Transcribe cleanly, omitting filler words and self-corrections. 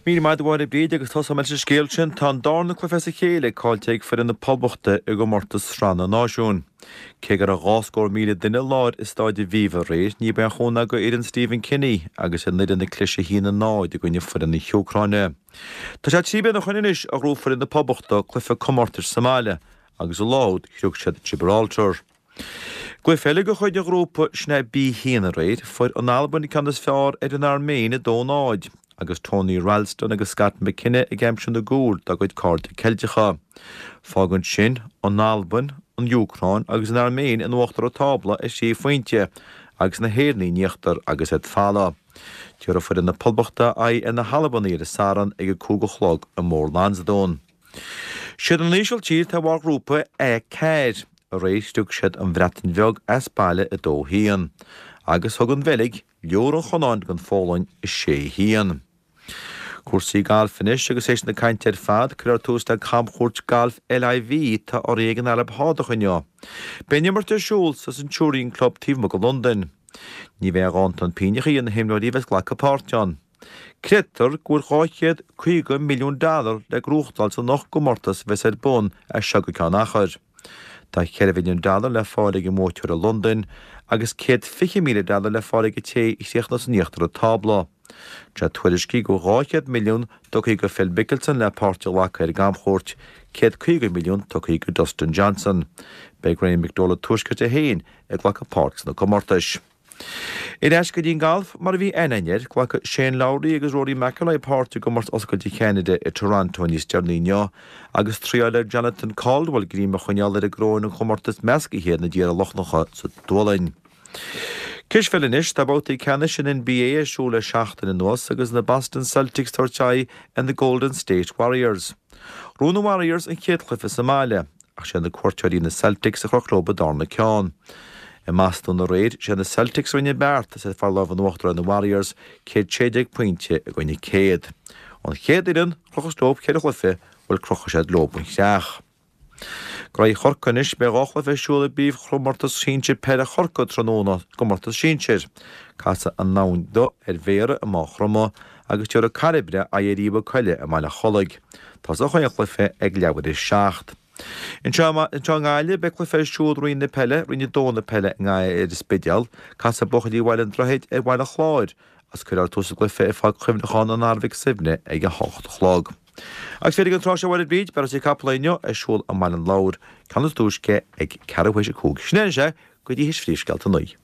Míle maith agat a Mháire Bríd agus tosóidh mé leis an scéal sin. Tá an darna cluiche as a chéile caillte ag foireann na Poblachta i gcomórtas Sraith na Náisiún. Cé go raibh 200,000 duine i láthair i Stáid Aviva aréir, ní ba aon chúnamh do fhoireann Stephen Kenny agus ar an fhoireann ag cliseadh 1-0 i gcoinne foireann na hÚcráine. Tá sé 3 bliana ó shoin anois a ghnóthaigh foireann na Poblachta cluiche comórtais sa mbaile agus an lá úd shroich siad Gibraltar. Cluiche eile de chuid an ghrúpa, sin é B1 aréir, fuair an Albain an ceann is fearr ar an Airméin 2-0, agus Tony Ralston agus Scott McKenna ag aimsiú na gcúl dá gcuid cairde Ceilteacha. Fágann sin an Albain, an Úcráin agus an Airméin in uachtar an tábla ar thrí phointe agus na hÉireannaigh in íochtar agus iad folamh. Tabharfaidh foireann na Poblachta aghaidh ar na hAlbanaigh ar an Satharn ag a 5 a chlog i mBóthar Lansdún. Siad an Ísiltír atá i mbarr ghrúpa A4. Aréir shroich siad an Bhreatain Bheag as baile 2-1. Agus thug an Bheilg liúr an Chonáin don Pholainn 6-1. Cúrsaí gailf anois agus théis na cainte ar fad, cuirfear tús le camchuairt gailf LIV atá urraithe ag an Araib Shádach inniu. Beidh an imirt ar siúl sa Centurion Club taobh amuigh de Londain. Ní bheidh aon dántan pínneachaí ar na himreoirí a bheas ag glacadh páirt ann. Creidtear go bhfuil 250 milliún dollar le gnóthachtáil san ocht gcomórtas a bheas ar bun as seo go ceann achair. Tá 4 mhilliún dollar le fáil ag an mbuaiteoir i Londain agus 120,000 dollar le fáil ag an té a chríochnós in íochtar an tábla. Tá tuairiscí go bhfuil 200 milliún tugtha do Phil Mickelson le páirt a ghlacadh ar an gcamchuairt, 150 milliún tugtha do Dustin Johnson. Beidh Graeme McDowell an Tuaiscirt é féin ag glacadh páirt sna comórtais. Ar ais go dtí an galf, mar a bhí aithne againn air, glacfaidh Shane Lowry agus Rory McIlroy páirt i gcomórtas Oscailte Cheanada i Toronto níos deireanaí inniu, agus triáilfidh Jonathan Caldwell greim a choinneáil ar an gcoróin an chomórtais meascaithe na dtíortha Lochlannacha sa tSualainn. Cispheil anois, tá babhtaí ceannais an NBA ar siúl le seachtain anuas agus na Boston Celtics ag tabhairt aghaidh ar na Golden State Warriors. Ghnóthaigh na Warriors an chéad chluiche sa mbaile. Ach sé na cuairteoirí na Celtics a chroch leo an darna ceann. I mBostún aréir, sé na Celtics a rinne an beart is iad ag fáil lámh in uachtar ar na Warriors, 116 pointe i gcoinne 100. An chéad fhoireann, chrochas leo ceithre chluiche, bhuel crochfaidh siad leo an chreach. Graí Chorcaí anois, beidh dhá chluiche ar siúl i bpríomhchomórtas sinsir peile Chorcaí tráthnóna, gcomórtas sinsir. Casfaidh an Abhainn Dubh ar Bhéarra i Maigh Chromtha agus tabharfaidh Cairbre aghaidh ar Uíbh Coille i mBaile Chollaigh. Tosóidh an cluiche ag leathuair théis 7. Anseo i nGaillimh, beidh cluiche ar siúl Roinn na Peile, Roinn 2 na Peile i nGaillimh ar an Spidéal. Casfaidh buachaillí Bhaile an Droichid ar Bhaile Chláir agus cuirfear tús an gcluiche ag Pháirc Chuimhneacháin an Athar Mhic Suibhne ag 8 a chlog. Agus féach an tráth seo a Mháire Bríd, beidh rásaí capall inniu ar siúl i mBaile an Lobhair, ceann is túisce ag ceathrú théis 5. Sin é anois é go dtí théis phríomhscéalta 9.